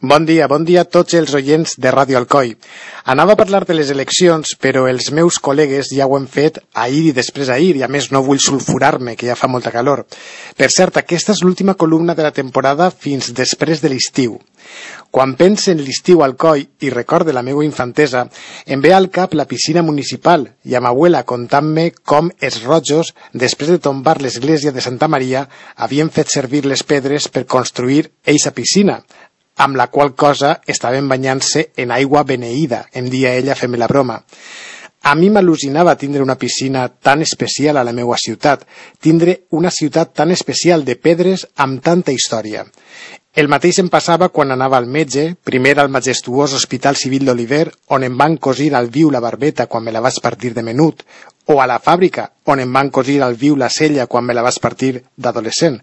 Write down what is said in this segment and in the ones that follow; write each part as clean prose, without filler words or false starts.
Bon dia a tots els oients de Ràdio Alcoi. Anava a parlar de les eleccions, però els meus col·legues ja ho han fet ahir i després ahir, i a més no vull sulfurar-me, que ja fa molta calor. Per cert, aquesta és l'última columna de la temporada fins després de l'estiu. Quan pense en l'estiu a Alcoi i recorde la meva infantesa, em ve al cap la piscina municipal i a ma abuela contant-me com els rojos, després de tombar l'església de Santa Maria, havien fet servir les pedres per construir eixa piscina, amb la qual cosa estaven banyant-se en aigua beneïda, em dia ella fent-me la broma. A mi m'al·lucinava tindre una piscina tan especial a la meva ciutat, tindre una ciutat tan especial de pedres amb tanta història. El mateix em passava quan anava al metge, primer al majestuós Hospital Civil d'Oliver, on em van cosir al viu la barbeta quan me la vaig partir de menut, o a la fàbrica, on em van cosir al viu la cella quan me la vaig partir d'adolescent.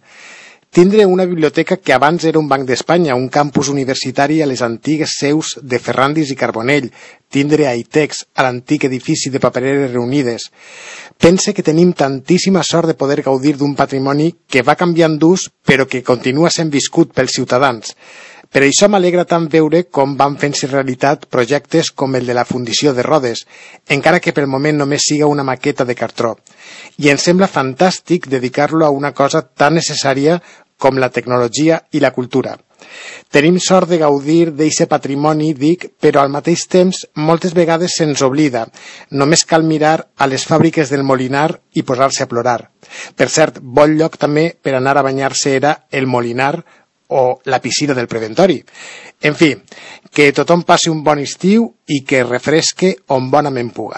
Tindre una biblioteca que abans era un Banc d'Espanya, un campus universitari a les antigues seus de Ferrandis i Carbonell, tindre Aitex, a l'antic edifici de Papereres Reunides. Pense que tenim tantíssima sort de poder gaudir d'un patrimoni que va canviant d'ús, però que continua sent viscut pels ciutadans. Per això m'alegra tant veure com van fent-se realitat projectes com el de la Fundició de Rodes, encara que pel moment només siga una maqueta de cartró. I em sembla fantàstic dedicar-lo a una cosa tan necessària com la tecnologia i la cultura. Tenim sort de gaudir d'eixe patrimoni, dic, però al mateix temps moltes vegades se'ns oblida. Només cal mirar a les fàbriques del Molinar i posar-se a plorar. Per cert, bon lloc també per anar a banyar-se era el Molinar o la piscina del Preventori. En fi, que tothom passi un bon estiu i que refresque on bonament puga.